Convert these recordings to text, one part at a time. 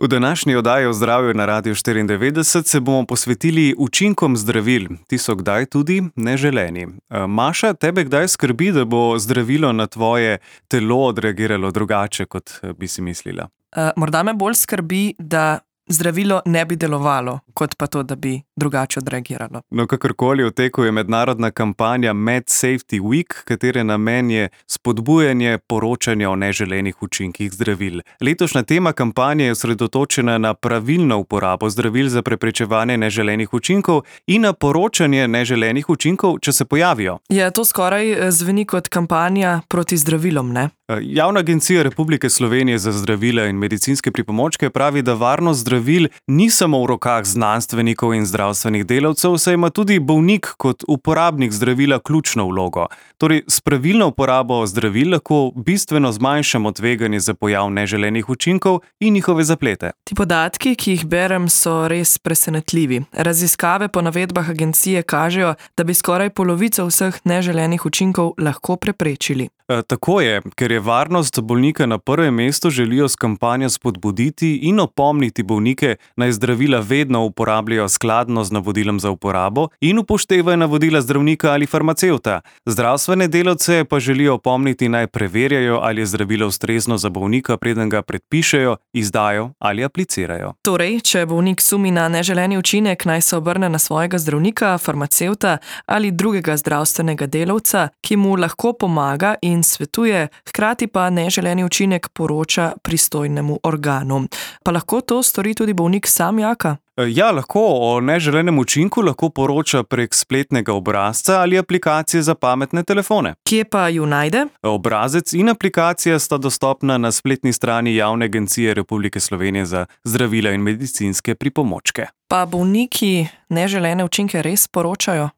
V današnji oddaji o zdravju na Radiu 94 se bomo posvetili učinkom zdravil. Ti so kdaj tudi neželeni. Maša, tebe kdaj skrbi, da bo zdravilo na tvoje telo odreagiralo drugače, kot bi si mislila? Morda me bolj skrbi, da zdravilo ne bi delovalo, kot pa to, da bi drugače odreagiralo. No, kakorkoli, v teku je mednarodna kampanja MedSafety Week, katere namen je spodbujanje poročanja o neželenih učinkih zdravil. Letošnja tema kampanje je osredotočena na pravilno uporabo zdravil za preprečevanje neželenih učinkov in na poročanje neželenih učinkov, če se pojavijo. Ja, to skoraj zveni kot kampanja proti zdravilom, ne? Javna agencija Republike Slovenije za zdravila in medicinske pripomočke pravi, da varnost zdravil ni samo v rokah znanstvenikov in zdravstvenih delavcev, saj ima tudi bolnik kot uporabnik zdravila ključno vlogo. Torej, s pravilno uporabo zdravil lahko bistveno zmanjšamo tveganje za pojav neželenih učinkov in njihove zaplete. Ti podatki, ki jih berem, so res presenetljivi. Raziskave po navedbah agencije kažejo, da bi skoraj polovico vseh neželenih učinkov lahko preprečili. Tako je, ker je varnost bolnika na prvem mestu, želijo s kampanjo spodbuditi in opomniti bolnike, naj zdravila vedno uporabljajo skladno z navodilom za uporabo in upoštevajo navodila zdravnika ali farmacevta. Zdravstvene delavce pa želijo opomniti, naj preverjajo, ali je zdravilo ustrezno za bolnika, preden ga predpišejo, izdajo ali aplicirajo. Torej, če bolnik sumi na neželeni učinek, naj se obrne na svojega zdravnika, farmacevta ali drugega zdravstvenega delavca, ki mu lahko pomaga in svetuje, hkrati pa neželeni učinek poroča pristojnemu organu. Pa lahko to stori tudi bolnik sam, Jaka? Ja, lahko. O neželenem učinku lahko poroča prek spletnega obrazca ali aplikacije za pametne telefone. Kje pa ju najde? Obrazec in aplikacija sta dostopna na spletni strani Javne agencije Republike Slovenije za zdravila in medicinske pripomočke. Pa bolniki neželene učinke res poročajo?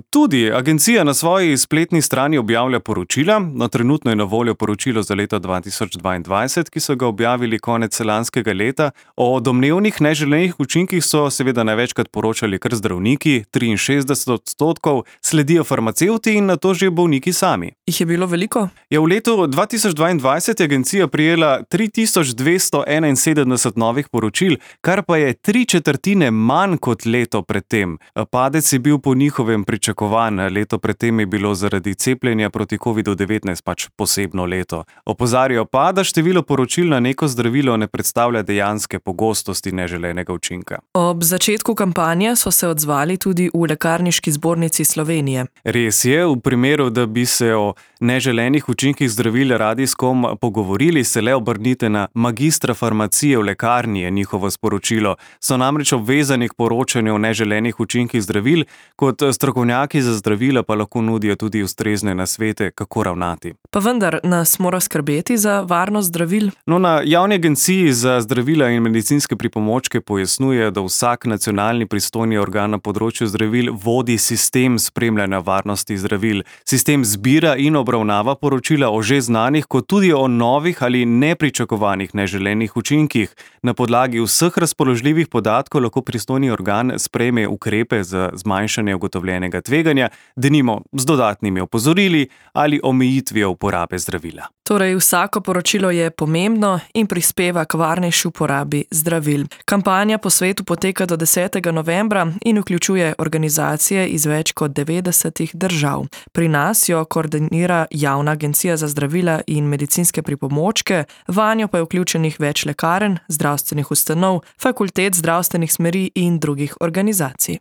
Tudi agencija na svoji spletni strani objavlja poročila. No, trenutno je na voljo poročilo za leto 2022, ki so ga objavili konec lanskega leta. O domnevnih neželenih učinkih so seveda največkrat poročali kar zdravniki, 63%, sledijo farmacevti in nato že bolniki sami. Jih je bilo veliko? V letu 2022 je agencija prijela 3271 novih poročil, kar pa je 3/4 manj kot leto predtem. Padec je bil po njihovem pričakovan. Leto predtem je bilo zaradi cepljenja proti COVID-19 pač posebno leto. Opozarjajo pa, da število poročil na neko zdravilo ne predstavlja dejanske pogostosti neželenega učinka. Ob začetku kampanje so se odzvali tudi v Lekarniški zbornici Slovenije. Res je, v primeru, da bi se o neželenih učinkih zdravil radi s kom pogovorili, se le obrnite na magistra farmacije v lekarni, je njihovo sporočilo. So namreč obvezani k poročanju o neželenih učinkih zdravil, kot strokovnjaki za zdravila pa lahko nudijo tudi ustrezne nasvete, kako ravnati. Pa vendar nas mora skrbeti za varnost zdravil? No, na Javni agenciji za zdravila in medicinske pripomočke pojasnjuje, da vsak nacionalni pristojni organ na področju zdravil vodi sistem spremljanja varnosti zdravil. Sistem zbira in obravnava poročila o že znanih, kot tudi o novih ali nepričakovanih neželenih učinkih. Na podlagi vseh razpoložljivih podatkov lahko pristojni organ sprejme ukrepe za zmanjšanje ugotovljenega tveganja, denimo z dodatnimi opozorili ali omejitvijo uporabe zdravila. Torej, vsako poročilo je pomembno in prispeva k varnejši uporabi zdravil. Kampanja po svetu poteka do 10. novembra in vključuje organizacije iz več kot 90 držav. Pri nas jo koordinira Javna agencija za zdravila in medicinske pripomočke, vanjo pa je vključenih več lekarn, zdravstvenih ustanov, fakultet zdravstvenih smeri in drugih organizacij.